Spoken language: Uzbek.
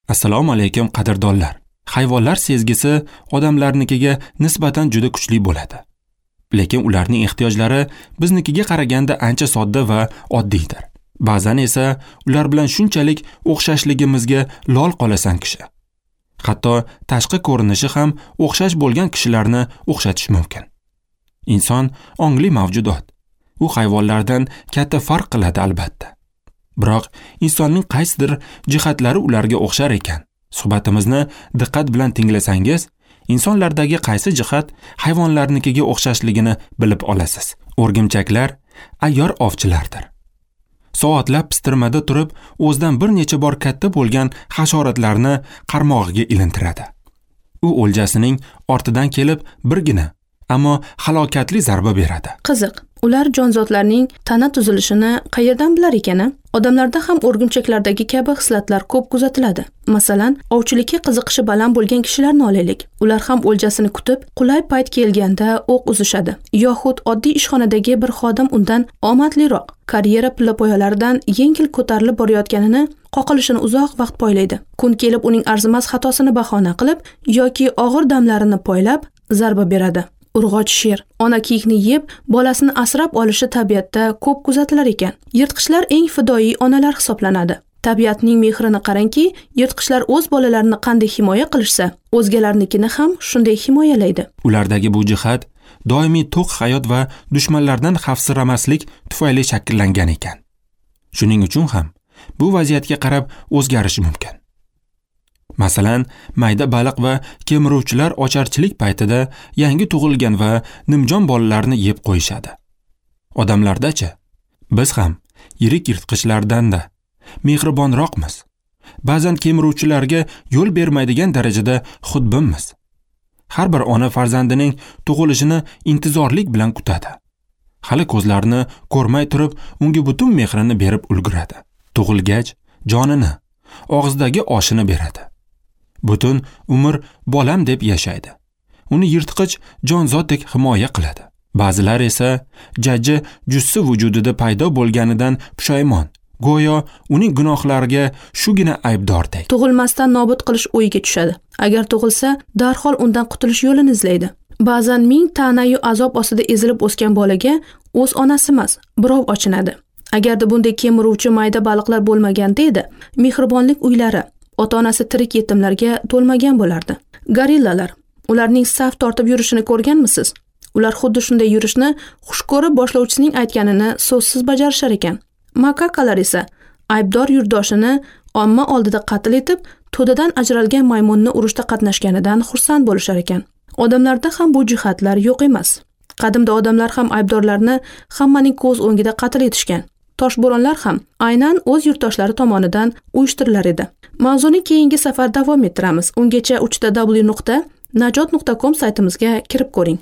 Assalomu alaykum qadrdonlar. Hayvonlar sezgisi odamlarnikiga nisbatan juda kuchli bo'ladi. Lekin ularning ehtiyojlari biznikiga qaraganda ancha sodda va oddiydir. Ba'zan esa ular bilan shunchalik o'xshashligimizga lol qolasan kishi. Hatto tashqi ko'rinishi ham o'xshash bo'lgan kishilarni o'xshatish mumkin. Inson ongli mavjudot. U hayvonlardan katta farq qiladi albatta. Biroq insonning qaysidir jihatlari ularga o'xshar ekan. Suhbatimizni diqqat bilan tinglasangiz, insonlardagi qaysi jihat hayvonlarnikiga o'xshashligini bilib olasiz. O'rgimchaklar ayyor ovchilardir. Soatlab pistirmada turib, o'zidan bir necha bor katta bo'lgan hasharotlarni qarmog'iga ilintiradi. U o'ljasining ortidan kelib birgina, ammo halokatli zarba beradi. Qiziq, ular jonzotlarning tana tuzilishini qayerdan bilar ekan? Odamlarda ham o'rgimchaklardagi kabi xislatlar ko'p kuzatiladi. Masalan, ovchilikka qiziqishi baland bo'lgan kishilarni olaylik. Ular ham o'ljasini kutib, qulay payt kelganda o'q uzishadi. Yoxud oddiy ishxonadagi bir xodim undan omadliroq, karyera pillapoyalaridan yengil ko'tarilib borayotganini, qoqilishini uzoq vaqt poylaydi. Kun kelib uning arzimas xatosini bahona qilib yoki og'ir damlarini poylab zarba beradi. Urg'och sher ona kiyikni yeb, bolasini asrab olishi tabiatda ko'p kuzatilar ekan. Yirtqichlar eng fidoyi onalar hisoblanadi. Tabiatning mehrini qarangki, yirtqichlar o'z bolalarini qanday himoya qilishsa, o'zgalarnikini ham shunday himoyalaydi. Ulardagi bu jihat doimiy to'q hayot va dushmanlardan xavfsiramaslik tufayli shakllangan ekan. Shuning uchun ham bu vaziyatga qarab o'zgarishi mumkin. Masalan, mayda baliq va kemiruvchilar ocharchilik paytida yangi tug'ilgan va nimjon bolalarni yeb qo'yishadi. Odamlardachi, biz ham yirik yirtqichlardan-da mehribonroqmiz. Ba'zan kemiruvchilarga yo'l bermaydigan darajada xudbinmiz. Har bir ona farzandining tug'ilishini intizorlik bilan kutadi. Hali ko'zlarini ko'rmay turib, unga butun mehrini berib ulguradi. Tug'ilgach jonini, og'zidagi oshini beradi. Butun umr bolam deb yashaydi. Uni yirtqich jonzotdek himoya qiladi. Ba'zilar esa jajji jussi vujudida paydo bo'lganidan pushaymon, go'yo uning gunohlariga shugina aybdordek. Tug'ilmasdan nobud qilish o'yiga tushadi. Agar tug'ilsa, darhol undan qutulish yo'lini izlaydi. Ba'zan ming ta'nayu azob ostida ezilib o'sgan bolaga o'z onasi emas, birov ochinadi. Agarda bunday kemiruvchi mayda baliqlar bo'lmaganda edi, mehribonlik uylari ota-onasi tirik yetimlarga to'lmagan bo'lardi. Gorillalar, ularning saf tortib yurishini ko'rganmisiz? Ular xuddi shunday yurishni xush ko'rib boshlovchisining aytganini so'zsiz bajarishar ekan. Makakalar esa aybdor yurtdoshini omma oldida qatl etib, to'dadan ajralgan maymunni urushda qatnashganidan xursand bo'lishar ekan. Odamlarda ham bu jihatlar yo'q emas. Qadimda odamlar ham aybdorlarni hammaning ko'z o'ngida qatl etishgan. Toshbo'ronlar ham aynan o'z yurtdoshlari tomonidan uyushtirilar edi. Mavzuni keyingi safar davom ettiramiz. Ungacha www.najot.com saytimizga kirib ko'ring.